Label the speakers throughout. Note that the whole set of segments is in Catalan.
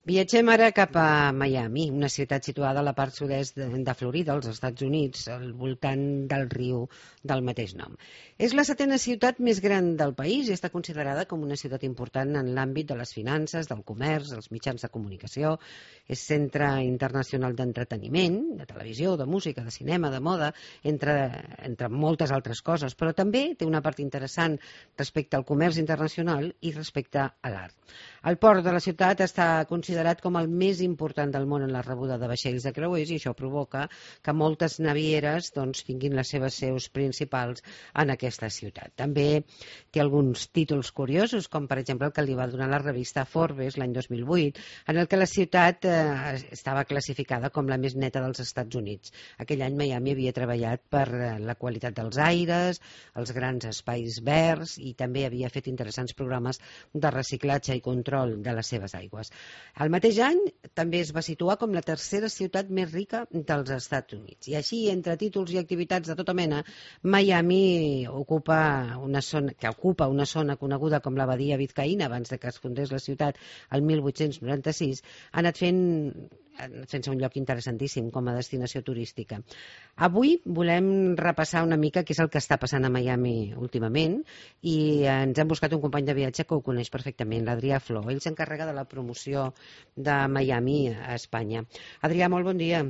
Speaker 1: Viatgem ara cap a Miami, una ciutat situada a la part sud-est de Florida, als Estats Units, al voltant del riu del mateix nom. És la setena ciutat més gran del país i està considerada com una ciutat important en l'àmbit de les finances, del comerç, dels mitjans de comunicació. És centre internacional d'entreteniment, de televisió, de música, de cinema, de moda, entre moltes altres coses, però també té una part interessant respecte al comerç internacional i respecte a l'art. El port de la ciutat està considerat com el més important del món en la rebuda de vaixells de creuers i això provoca que moltes navieres tinguin les seves seus principals en aquesta ciutat. També té alguns títols curiosos, com per exemple el que li va donar la revista Forbes l'any 2008, en el que la ciutat estava classificada com la més neta dels Estats Units. Aquell any Miami havia treballat per la qualitat dels aires, els grans espais verds i també havia fet interessants programes de reciclatge i control de les seves aigües. El mateix any també es va situar com la tercera ciutat més rica dels Estats Units. I així, entre títols i activitats de tota mena, Miami ocupa una zona coneguda com la Badia Biscaïna abans de que es fundés la ciutat el 1896, ha anat fent-se un lloc interessantíssim com a destinació turística. Avui volem repassar una mica què és el que està passant a Miami últimament i ens hem buscat un company de viatge que ho coneix perfectament, l'Adrià Flor. Ell s'encarrega de la promoció de Miami a Espanya. Adrià, molt bon dia.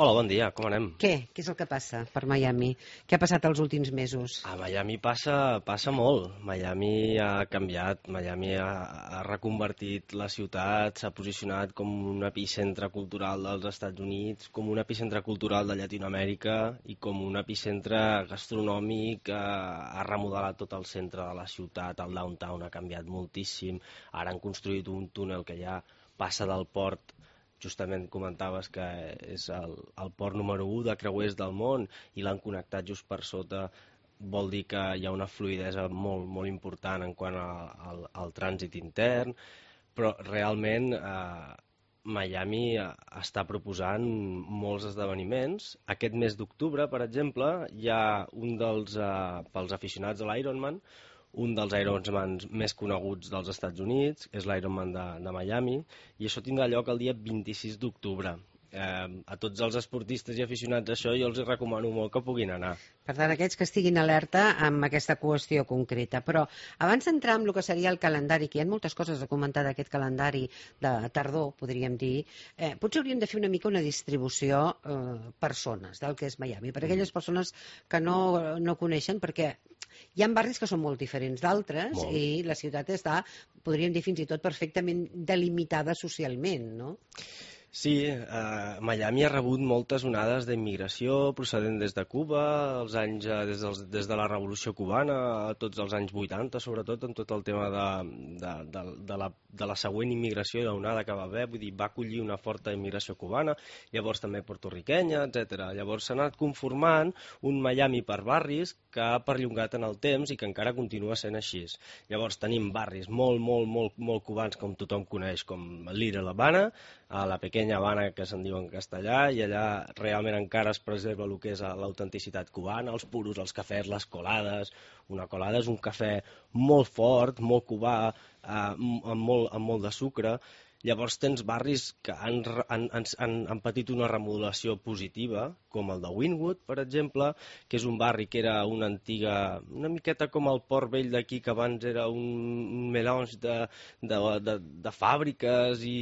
Speaker 2: Hola, bon dia, com anem?
Speaker 1: Què és el que passa per Miami? Què ha passat els últims mesos?
Speaker 2: A Miami passa molt. Miami ha canviat, Miami ha reconvertit la ciutat, s'ha posicionat com un epicentre cultural dels Estats Units, com un epicentre cultural de Llatinoamèrica i com un epicentre gastronòmic. Ha remodelat tot el centre de la ciutat, el downtown ha canviat moltíssim. Ara han construït un túnel que ja passa del port. Justament comentaves que és el port número 1 de creuers del món i l'han connectat just per sota. Vol dir que hi ha una fluïdesa molt, molt important en quant al trànsit intern, però realment Miami està proposant molts esdeveniments. Aquest mes d'octubre, per exemple, hi ha pels aficionats a l'Ironman, un dels Ironmans més coneguts dels Estats Units, és l'Ironman de Miami, i això tindrà lloc el dia 26 d'octubre. A tots els esportistes i aficionats a això jo els recomano molt que puguin anar.
Speaker 1: Per tant, aquells que estiguin alerta amb aquesta qüestió concreta. Però abans d'entrar en el que seria el calendari, que hi ha moltes coses a comentar d'aquest calendari de tardor, podríem dir, potser hauríem de fer una mica una distribució per zones del que és Miami, per aquelles persones que no coneixen, perquè hi ha barris que són molt diferents d'altres i la ciutat està, podríem dir fins i tot, perfectament delimitada socialment, no?
Speaker 2: Sí, Miami ha rebut moltes onades d'immigració procedent des de Cuba, des de la Revolució Cubana, tots els anys 80, sobretot en tot el tema de la següent immigració i l'onada que va haver, vull dir, va acollir una forta immigració cubana, llavors també portorriquenya, etc. Llavors s'ha anat conformant un Miami per barris que ha perllongat en el temps i que encara continua sent així. Llavors tenim barris molt cubans, com tothom coneix, com Little Havana, a la Pequeña Habana, que se'n diu en castellà, i allà realment encara es preserva el que és l'autenticitat cubana, els puros, els cafès, les colades. Una colada és un cafè molt fort, molt cubà, amb molt de sucre. Llavors tens barris que han patit una remodelació positiva, com el de Wynwood, per exemple, que és un barri que era una miqueta com el Port Vell d'aquí, que abans era un melange de fàbriques i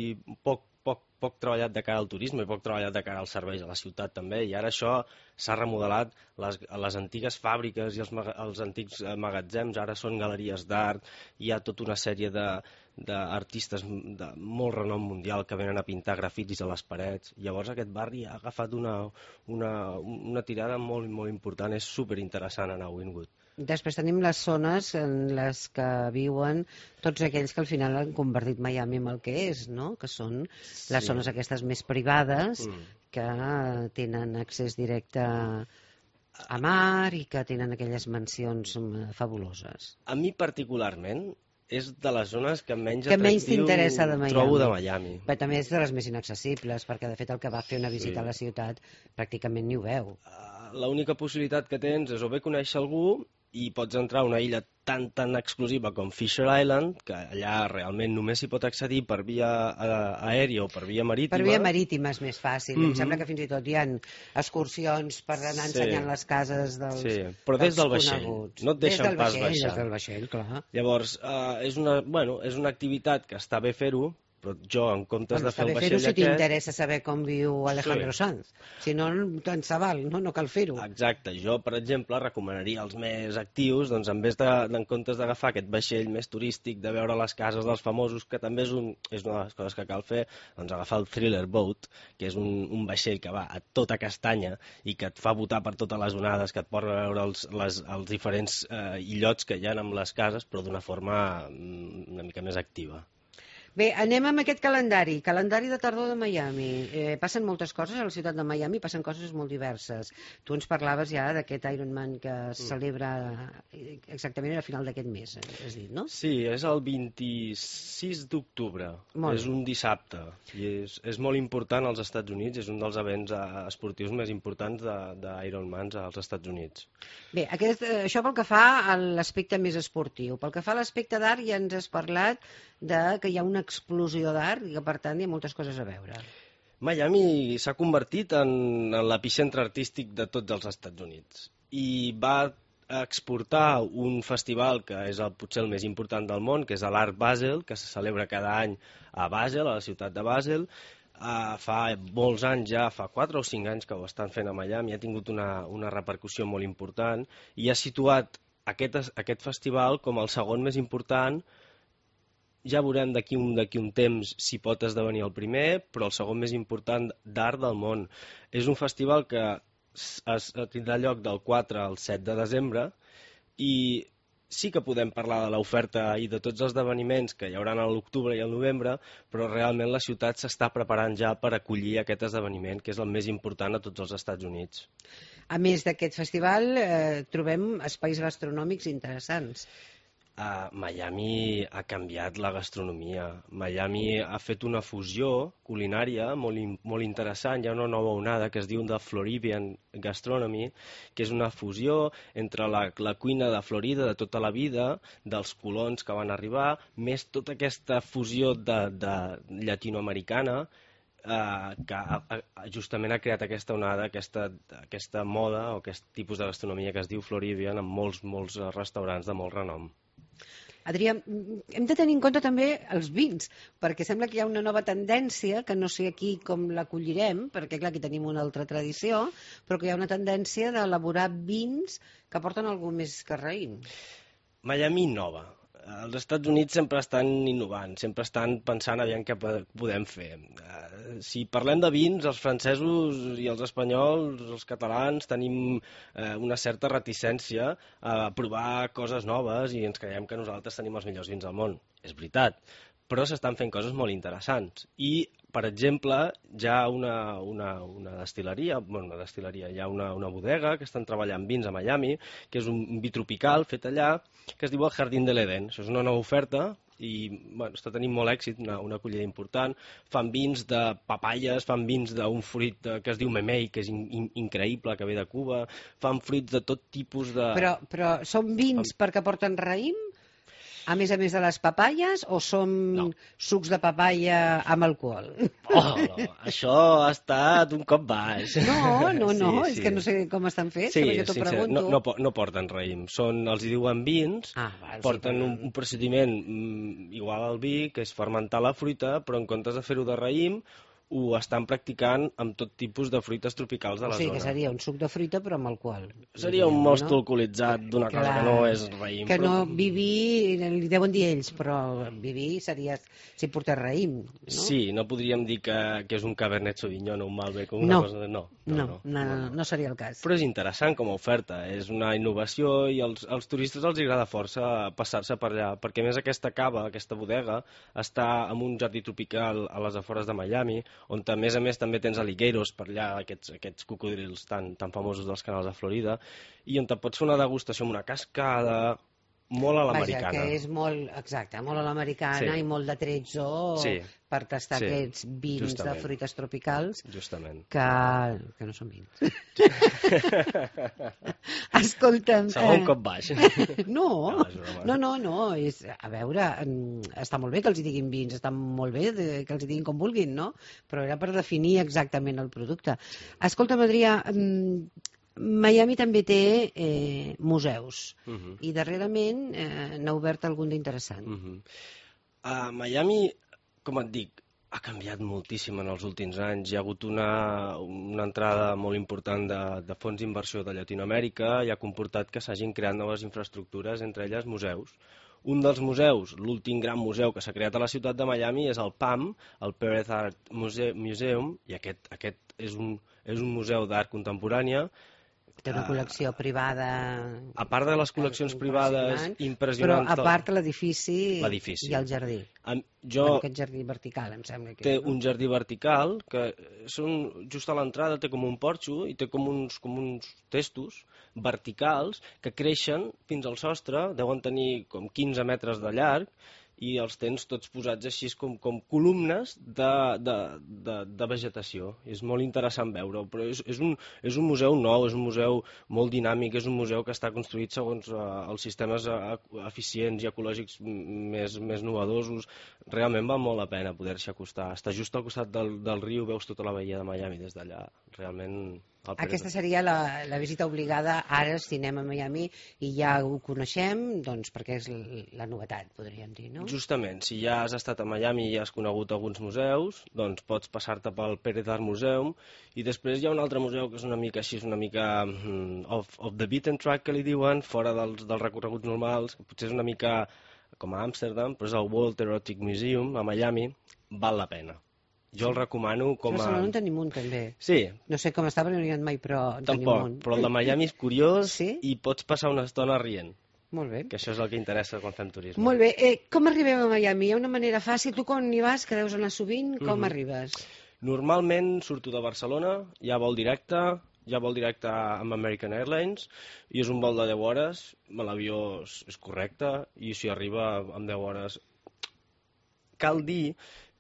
Speaker 2: poc treballat de cara al turisme i poc treballat de cara als serveis a la ciutat també, i ara això s'ha remodelat. Les antigues fàbriques i els antics magatzems ara són galeries d'art, hi ha tota una sèrie d'artistes de molt renom mundial que venen a pintar grafitis a les parets. Llavors aquest barri ha agafat una tirada molt, molt important, és superinteressant anar a Wynwood.
Speaker 1: Després tenim les zones en les que viuen tots aquells que al final han convertit Miami en el que és, no? Que són les zones aquestes més privades que tenen accés directe a mar i que tenen aquelles mansions fabuloses.
Speaker 2: A mi particularment és de les zones que menys
Speaker 1: t'interessa de Miami.
Speaker 2: Trobo de Miami.
Speaker 1: Però també és de les més inaccessibles, perquè de fet el que va fer una visita a la ciutat pràcticament ni ho veu.
Speaker 2: L'única possibilitat que tens és o bé conèixer algú i pots entrar a una illa tan exclusiva com Fisher Island, que allà realment només s'hi pot accedir per via aèria o per via marítima.
Speaker 1: Per via marítima és més fàcil. Em sembla que fins i tot hi ha excursions per anar ensenyant les cases dels coneguts.
Speaker 2: Però des del vaixell, no et deixen pas baixar.
Speaker 1: Des del vaixell, clar.
Speaker 2: Llavors, és una activitat que està bé fer-ho, però jo, en comptes de fer el vaixell
Speaker 1: si t'interessa saber com viu Alejandro Sanz. Si no, tant se val, no cal fer-ho.
Speaker 2: Exacte. Jo, per exemple, recomanaria als més actius, doncs, en comptes d'agafar aquest vaixell més turístic, de veure les cases dels famosos, que també és una de les coses que cal fer, doncs agafar el Thriller Boat, que és un vaixell que va a tota castanya i que et fa botar per totes les onades, que et porta a veure els diferents illots que hi ha amb les cases, però d'una forma una mica més activa.
Speaker 1: Bé, anem amb aquest calendari de tardor de Miami. Passen moltes coses a la ciutat de Miami, passen coses molt diverses. Tu ens parlaves ja d'aquest Ironman que es celebra exactament a final d'aquest mes, has dit, no?
Speaker 2: Sí, és el 26 d'octubre, és un dissabte, i és molt important als Estats Units, és un dels events esportius més importants d'Ironmans als Estats Units.
Speaker 1: Bé, això pel que fa a l'aspecte més esportiu. Pel que fa a l'aspecte d'art, ja ens has parlat que hi ha una explosió d'art i que, per tant, hi ha moltes coses a veure.
Speaker 2: Miami s'ha convertit en l'epicentre artístic de tots els Estats Units i va exportar un festival que és potser el més important del món, que és l'Art Basel, que se celebra cada any a Basel, a la ciutat de Basel. Fa molts anys ja, fa 4 o 5 anys que ho estan fent a Miami, ha tingut una repercussió molt important i ha situat aquest festival com el segon més important. Ja veurem d'aquí un temps si pot esdevenir el primer, però el segon més important d'art del món. És un festival que tindrà lloc del 4 al 7 de desembre i sí que podem parlar de l'oferta i de tots els esdeveniments que hi haurà a l'octubre i al novembre, però realment la ciutat s'està preparant ja per acollir aquest esdeveniment, que és el més important a tots els Estats Units.
Speaker 1: A més d'aquest festival, trobem espais gastronòmics interessants.
Speaker 2: Miami ha canviat la gastronomia. Miami ha fet una fusió culinària molt interessant. Hi ha una nova onada que es diu de Floridian Gastronomy, que és una fusió entre la cuina de Florida de tota la vida, dels colons que van arribar, més tota aquesta fusió de llatinoamericana, que justament ha creat aquesta onada, aquesta moda o aquest tipus de gastronomia que es diu Floridian, amb molts restaurants de molt renom.
Speaker 1: Adrià, hem de tenir en compte també els vins, perquè sembla que hi ha una nova tendència, que no sé aquí com l'acollirem, perquè clar, aquí tenim una altra tradició, però que hi ha una tendència d'elaborar vins que porten algú més que raïm.
Speaker 2: Miami innova. Els Estats Units sempre estan innovant, sempre estan pensant aviam què podem fer. Si parlem de vins, els francesos i els espanyols, els catalans, tenim una certa reticència a provar coses noves i ens creiem que nosaltres tenim els millors vins del món. És veritat, però s'estan fent coses molt interessants. I, per exemple, hi ha una destil·leria, hi ha una bodega que estan treballant vins a Miami, que és un vi tropical fet allà, que es diu el Jardín de l'Eden. Això és una nova oferta i està tenint molt èxit, una acollida important. Fan vins de papaies, fan vins d'un fruit que es diu memei, que és increïble, que ve de Cuba, fan fruits de tot tipus de...
Speaker 1: Però són vins perquè porten raïm? A més de les papaies, o són sucs de papaia amb alcohol?
Speaker 2: No, això ha estat un cop baix.
Speaker 1: No, és que no sé com estan fets, jo t'ho pregunto.
Speaker 2: No porten raïm, els hi diuen vins, porten un procediment igual al vi, que és fermentar la fruita, però en comptes de fer-ho de raïm, ho estan practicant amb tot tipus de fruites tropicals de la zona.
Speaker 1: O sigui que seria un suc de fruita però amb alcohol.
Speaker 2: Seria un most alcoholitzat d'una cosa que no és raïm.
Speaker 1: Que no, viví, li deuen dir ells, però viví seria si portés raïm.
Speaker 2: Sí, no podríem dir que és un Cabernet Sauvignon o un Malbec o una cosa...
Speaker 1: No seria el cas.
Speaker 2: Però és interessant com a oferta, és una innovació i als turistes els agrada força passar-se per allà, perquè a més aquesta cava, aquesta bodega, està en un jardí tropical a les afores de Miami, on a més també tens alligators per allà, aquests cocodrils tan famosos dels canals de Florida, i on te pots fer una degustació amb una cascada molt a l'americana.
Speaker 1: Vaja, que és molt a l'americana i molt de tretzo per tastar aquests vins de fruites tropicals que no són vins. Escolta'm...
Speaker 2: Segon cop baix.
Speaker 1: No. A veure, està molt bé que els hi diguin vins, està molt bé que els hi diguin com vulguin, no? Però era per definir exactament el producte. Escolta'm, Adrià, Miami també té museus i darrerament n'ha obert algun d'interessant.
Speaker 2: Miami, com et dic, ha canviat moltíssim en els últims anys. Hi ha hagut una entrada molt important de fons d'inversió de Llatinoamèrica i ha comportat que s'hagin creat noves infraestructures, entre elles museus. Un dels museus, l'últim gran museu que s'ha creat a la ciutat de Miami, és el PAM, el Perez Art Museum, i aquest és un museu d'art contemporània.
Speaker 1: Té una col·lecció privada...
Speaker 2: A part de les col·leccions privades impressionants...
Speaker 1: Però a part l'edifici i el jardí. Aquest jardí vertical, em sembla que
Speaker 2: té un jardí vertical que just a l'entrada té com un porxo i té com uns testos verticals que creixen fins al sostre, deuen tenir com 15 metres de llarg, i els tens tots posats així com columnes de vegetació. És molt interessant veure-ho, però és un museu nou, és un museu molt dinàmic, és un museu que està construït segons els sistemes eficients i ecològics més novedosos. Realment val molt la pena poder-s'hi acostar. Està just al costat del riu, veus tota la bahia de Miami des d'allà. Realment...
Speaker 1: Aquesta seria la visita obligada ara al cinema a Miami i ja ho coneixem, doncs perquè és la novetat, podríem dir, no?
Speaker 2: Justament, si ja has estat a Miami i has conegut alguns museus, doncs pots passar-te pel Perez Art Museum i després hi ha un altre museu que és una mica així, una mica off the beaten track, que li diuen, fora dels recorreguts normals, que potser és una mica com a Amsterdam, però és el World Erotic Museum a Miami, val la pena. Jo el recomano com a...
Speaker 1: A Barcelona en tenim un, també.
Speaker 2: Sí.
Speaker 1: No sé com està, perquè no hi ha mai, però en tenim un.
Speaker 2: Però el de Miami és curiós i pots passar una estona rient.
Speaker 1: Molt bé.
Speaker 2: Que això és el que interessa quan fem turisme.
Speaker 1: Molt bé. Com arribem a Miami? Hi ha una manera fàcil. Tu quan hi vas, que deus anar sovint, com arribes?
Speaker 2: Normalment surto de Barcelona, hi ha vol directe amb American Airlines i és un vol de 10 hores, l'avió és correcte i si arriba en 10 hores. Cal dir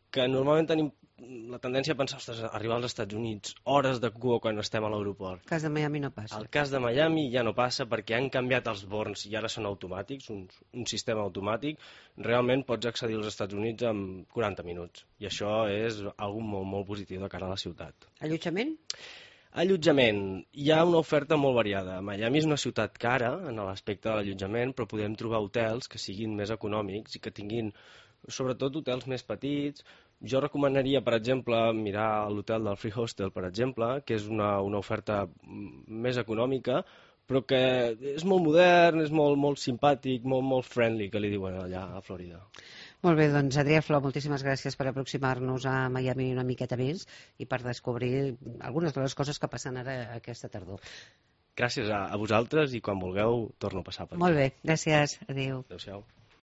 Speaker 2: que normalment tenim la tendència a pensar, ostres, arribar als Estats Units, hores de cua quan estem a l'aeroport.
Speaker 1: El cas de Miami no passa.
Speaker 2: El cas de Miami ja no passa perquè han canviat els vols i ara són automàtics, un sistema automàtic. Realment pots accedir als Estats Units en 40 minuts i això és algo molt, molt positiu de cara a la ciutat.
Speaker 1: Allotjament?
Speaker 2: Allotjament. Hi ha una oferta molt variada. Miami és una ciutat cara en l'aspecte de l'allotjament, però podem trobar hotels que siguin més econòmics i que tinguin sobretot hotels més petits. Jo recomanaria, per exemple, mirar l'hotel del Free Hostel, per exemple, que és una oferta més econòmica, però que és molt modern, és molt simpàtic, molt friendly, que li diuen allà a Florida.
Speaker 1: Molt bé, doncs Adrià Flor, moltíssimes gràcies per aproximar-nos a Miami una miqueta més i per descobrir algunes de les coses que passen ara aquesta tardor.
Speaker 2: Gràcies a vosaltres i quan vulgueu torno a passar per aquí.
Speaker 1: Molt bé, gràcies. Adéu.
Speaker 2: Adéu-siau.